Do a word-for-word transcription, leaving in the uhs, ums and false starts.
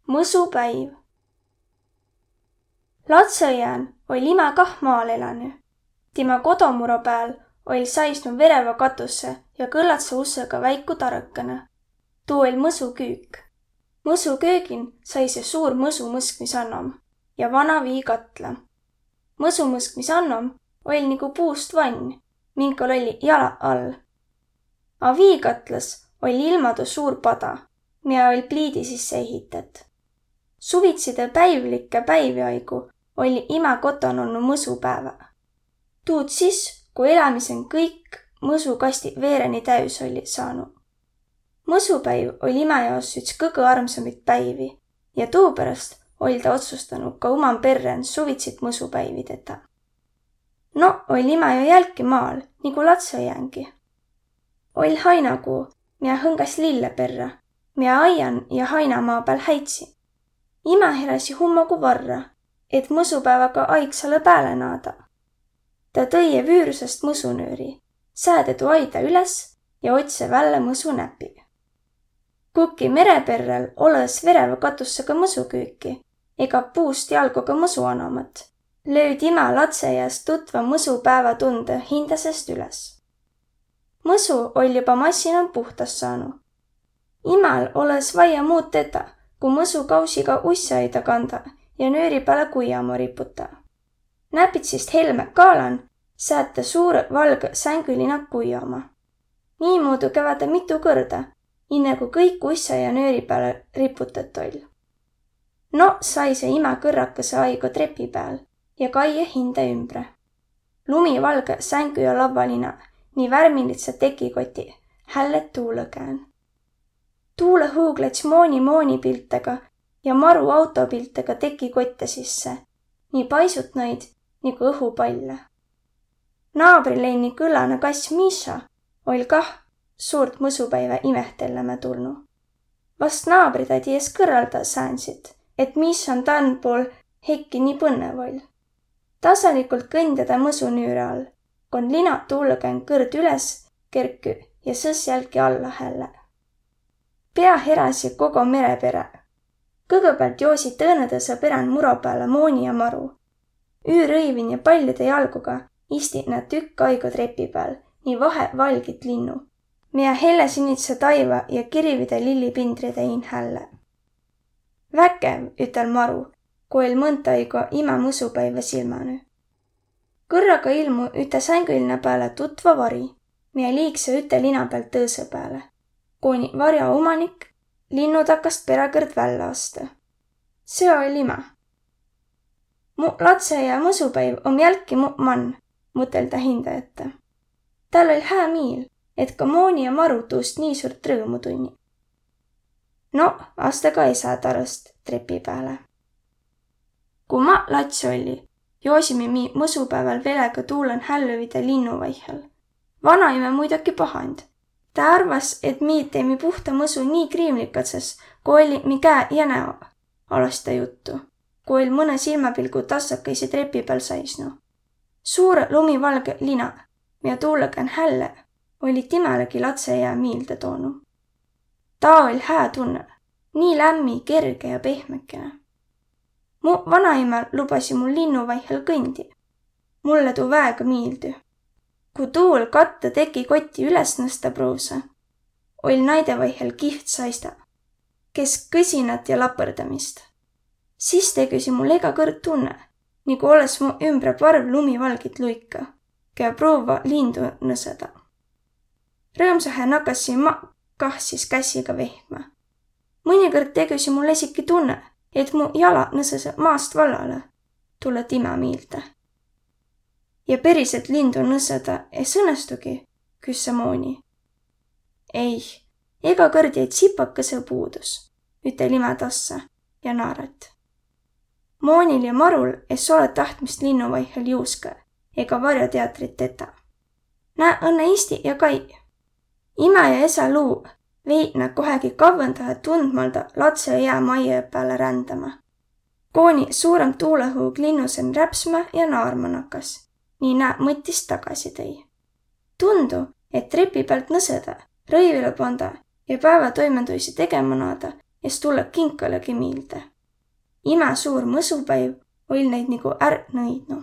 Mõsupäiv. Latsõ iän oll' imä kah maal elänü. Timä kodomuro pääl oll' saisnu verevä katusse ja kõlladsõ ussõga väiku tarõkana. Tuu oll' mõsuküük. Mõsuköögin saisõ suur mõsumõskmisannom ja vana viikatla. Mõsumõskmisannom oll' nigu puust vann, minkal olli jalaq all. A viikatlas oll' ilmadu suur pada, mia oll' pliidi sisse ehität. Suvitsidõ päivlikke päivi aigu olli imä koton olnu mõsupäävä. Tuud sis, ku elämisen kõik mõsukastiq veereni täüs olli saanu. Mõsupäiv oll' imä jaos üts kõgõ armsambit päivi ja tuuperäst oll' tä otsustanu ka uman perrän suvitsit mõsupäivi tetä. No oll' imä jo jälki maal, nigu latsõ iängi. Oll' hainakuu, mia hõngas lille perrä, mia aian ja hainamaa pääl häitsi. Imä heräsi hummogu varra, et mõsupääväga aigsalõ pääle naada. Tä tõi vüürusest mõsunüüri, sääde tuu aida üles ja otsõ vällä mõsunäpi. Kukki mere perräl olõ-s verevä katussega mõsuküüki ega puust jalgoga mõsuanomat, löüd imä latsõ iäs tutva mõsupäävä tundõ hindä seest üles. Mõsu oll' joba massinan puhtas saanu. Imäl olõ-s vaia muud tetä, ku mõsukausiga ussõ aida kanda ja nüüri pääle kuijama riputa. Näpitsist helmä kaalan sääd tä suurõ valgõ sängülinaq kuijama. Niimuudu käve tä mitu kõrda, inne ku kõik ussõ ja nüüri pääle riputõt oll'. No saisõ imä kõrrakõsõ aigo trepi pääl ja kaie hindä ümbre. Lumivalgõ sängü ja lavvalina, nii värmilidsed tekikotiq, hället tuulõ kään. Tuulõ huug läts mooni mooni piltega ja maru auto piltega tekikotte sisse, nii paisut naid nigu õhupalle. Naabri Lenni kõllana kass Miša oll' kah suurt mõsupäivä imehtelemä tulnu. Vast naabri taa ties kõrralda säänsit, et Mišan dan pool hekki nii põnnev oll'. Tasalikult kõnde tä mõsunüüre all, kon linaq tuulõ kään kõrd üles kerkü ja sõs jälki alla hälle. Pea heräsi kogo mere perä. Kõgõpäält joosi tõõnõ tõsõ perän muro pääle mooni ja maru. Üürõivin ja pallide jalgoga isti nä tükk aigo trepi pääl, nii vahe valgit linnu, mia helle sinidse taiva ja kirivide lillipindride iin hälle. Väkev, ütel maru, ku oll' mõnt aigo imä mõsupäivä silmänü. Kõrraga ilmu üte sängülinna pääle tutva vari, mia liiksõ üte lina päält tõõsõ pääle, kuni varja umanik linnu takast peräkõrd vällä astõ. Seo oll' imä. Mu latsõ iä mõsupäiv om jälki mu man, mutel tä hindä ette. Täl oll' hää miil, et ka mooni ja maru tuust nii suurt rõõmu tunni. No, astõ ka esä tarõst trepi pääle. Ku ma lats olli, joosimi mi mõsupääväl velega tuulan hällüvide linnu vaihhel. Vanaimä muidoki pahand. Tä arvas, et mi teimi puhta mõsu nii kriimlikadsas, ku olli mi käe ja näo, alas tä juttu, ku oll' mõnõ silmäpilgu tassakaisi trepi pääl saisnu. Suurõ lumivalgõ lina, mia tuulõ kään hälle, olli timälegi latsõ iä miilde toonu. Taa oll' hää tunnõ, nii lämmi, kerge ja pehmekene. Mu vanaimä lubasi mul linnu vaihhel kõndi. Mulle tuu väega miildü. Ku tuul kattõ tekikotti üles nõsta pruuvsõ, oll' naide vaihhel kihvt saista, kes kõsinat ja lapõrdamist. Sis tegüsi mul ega kõrd tunnõ, nigu olõs mu ümbre parv lumivalgit luikõ, kiä pruuvva lindu nõsõda. Rõõmsahe nakassi ma kah sis kässiga vehkmä. Mõnikõrd tegüsi mul esiki tunnõ, et mu jalaq nõsasõ maast vallalõ, tulõ timä miilde. Ja periselt lindu nõsõda es õnnestugi, küsse mooni. Ei, ega kõrd jäi tsipakõsõ puudus, ütel imä tassa ja naarat. Moonil ja marul es olõ tahtmist linnu vaihhel juuskõ ega varjoteatrit tetä. Nä õnnõ isti ja kai. Imä ja esä luu vei nä kohegi kavvõndahe tundmalda latsõ iä maijõ pääle rändämä. Koni suurõmb tuulõhuug linnu sen räpsmä ja naarma nakas, nii nä mõttis tagasi tõi. Tundu, et trepi päält nõsõda, rõivilõ panda ja päävätoimõnduisi tegema naada, es tulõ kinkalõgi miilde. Imä suur mõsupäiv oll' näid nigu ärtnõ nõidnu.